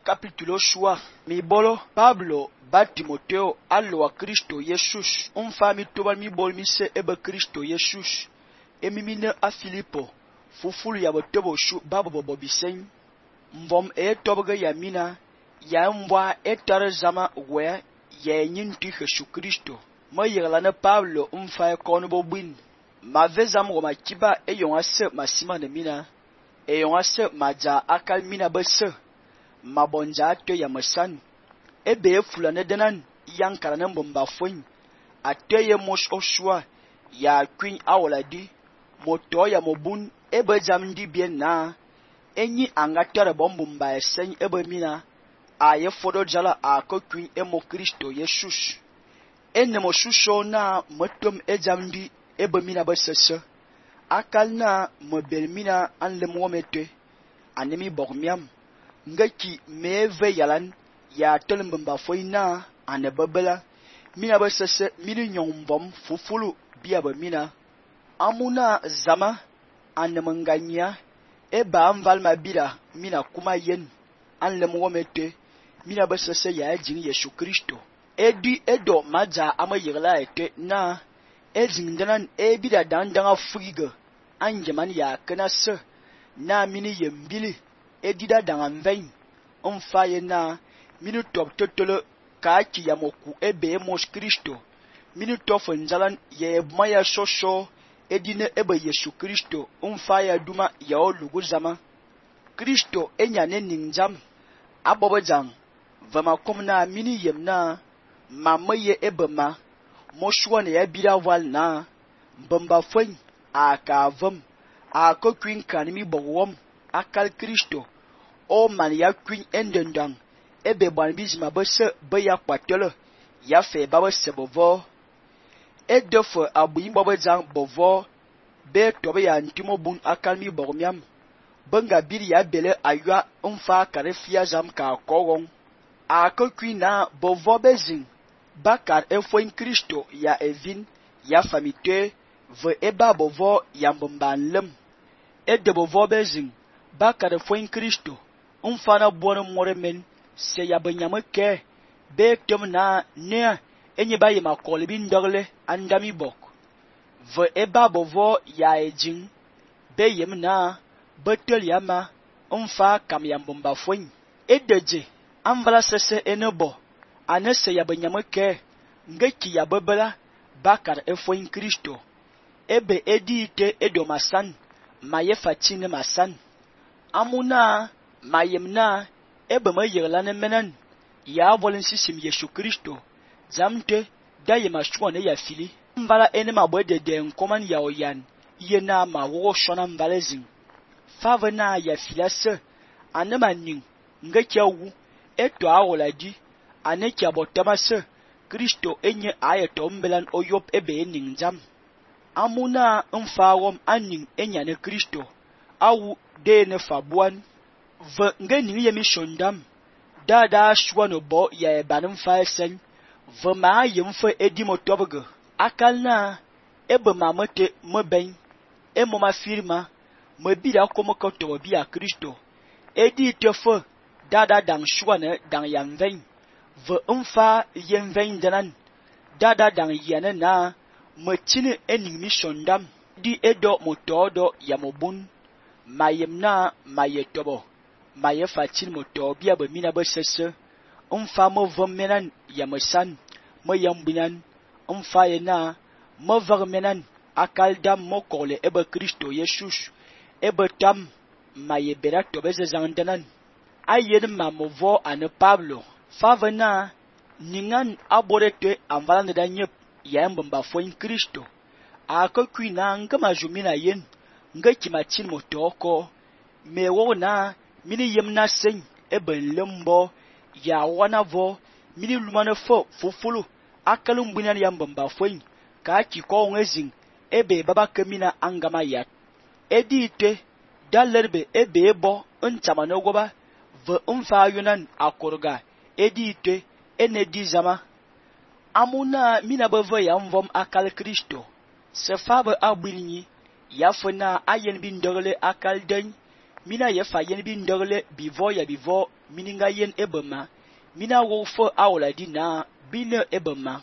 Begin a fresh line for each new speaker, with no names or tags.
capítulo shua. Mi bolo Pablo ba Timoteo allo a Cristo Jesus. Fa mi tobal mi bol mi se ebe Cristo Jesus. Mi mine a Filipo. Fufulu ya botobo shu babo bobisen. Mvom tobga ya mina. Ya mbwa tar zama we ya nyinti Jesu Cristo. Ma yigla Pablo fa kono bobin. Ma vezam go ma kiba yonga se masima ne mina. Yonga se maja akal mina bese. Ma bonja to ya masan. Ebe fulane denan yankara na mbomba fon. Ateye mos oshwa ya queen awoladi. Moto ya mobun ebe jamdi bien na. Enyi angatare bombumba esen ebe mina. Aye fodo jala ako queen emo Kristo Jesus. Ene mo shusho na motom jamdi ebe mina besese. Akal na mobel mina anlem womete. Anemi bogmiam. Ngaki meve yalan ya tolembamba foina ane babela. Mina besese mini nyombom fufulu biya ba mina. Amuna zama ane manganya. Eba amvalma bira mina kuma yen. Anlem womete. Mina besese ya jing Yesu Kristo. Edi edo maja ama yigla ete na. Ejing danan bida dandanga friga. Anjaman ya kena se. Na mini yembili. Edida dangan vein. Faye na. Mini top totolo. Kaki ya moku ebe mos Kristo. Mini tof njalan ye maya shosho. Edine ebe Yesu Kristo. Faye duma ya olugu zama. Kristo enyane ninjam. Abobo jang. Vama komna mini yem na. Mamaye ebe ma. Moshuane ya bida wal na. Mbamba fwen. Aka vam. Aka kwin kanimi bogwom. Akal Kristo. O man ya kwin endendang. Ebe banbizima bese be ya kwatele. Ya fe baba se bovo. Edofo abuyin baba jang bovo. Be tobe ya ntimo bun akal mi bogmiam. Benga biri ya bele aywa mfa kare fia jam ka kogong. Aka kwin na bovo bezing. Bakar efwen Kristo ya evin. Ya famite. Ve eba bovo ya mbomban lem. Ede bovo bezing. Bakar efwen Kristo. Mfana bono moremen. Se ya benyame ke. Be tem na ne. Enye baye makole bin dogle. Andami bok. Ve eba bovo ya ejing. Be yem na. Betel yama. Mfa kam ya mbomba fwen. Edeje. Amvala sese enebo. Anese ya benyame ke. Ngeki ya bebela. Bakar efwen Kristo. Ebe edi ite edo masan. Maye fatine masan. Amuna. Mayem na. Ebe ma yirlane menen. Ya volin sisim Yesu Kristo. Zamte. Daye ma shwane ya fili. Mvala ene ma bwede de nkoman ya oyan. Iye na ma wogo shona mvalezing. Fave na ya filase. Anema ning. Ngeki ya wu. Eto awola di. Aneki ya botamase. Kristo enye ayeto mbelan oyop ebe ning jam. Amuna mfawom aning enyane Kristo. Awu de ne fabuan. Ve nge ning ye mishondam. Dada shwano bo ya ebanim fa esen. Ve ma yemfe edi motobege. Akal na. Ebe mamete meben. Emo ma firma. Mebida komo kotobo biya Kristo. Edi tefe. Dada dang shwane dang yanvein. Ve mfa yenvein danan. Dada dang yane na. Mechine ening mishondam. Di edo motodo ya mobun. Mayem na mayetobo. Maye fatin moto biya be mina be sese. Mfa mo vom menan ya mesan. Mo yambinan. Mfa ye na. Mo vag menan. Akal dam mo kole ebe Kristo Jesus. Ebe tam. Maye bera tobe ze zandanan. Ayen ma movo ane Pablo. Fave na. Ningan aborete amvalande da nyep. Ya mbamba fwen Kristo. Aka kwi na nga majumina yen. Nga kimatin motoko. Me wo na. Mini yem na sen. Ebe lembo. Ya wana vo. Mini lumane fo fufulu. Akalum binan ya mbamba fwen. Ka kiko ngezing. Ebe baba kemina angama yat. Edi ite. Dalerbe ebe ebo. Nchamano goba. Ve mfa yunan akorga. Edi ite. Ene di zama. Amuna mina beve ya mvom akal Kristo. Se fabe abwilnyi. Ya fena ayen bin dogle akal den. mina ye fa yen bi ndegle bivo ya bivo mininga yen ebema mina wo fe awola di na bine ebema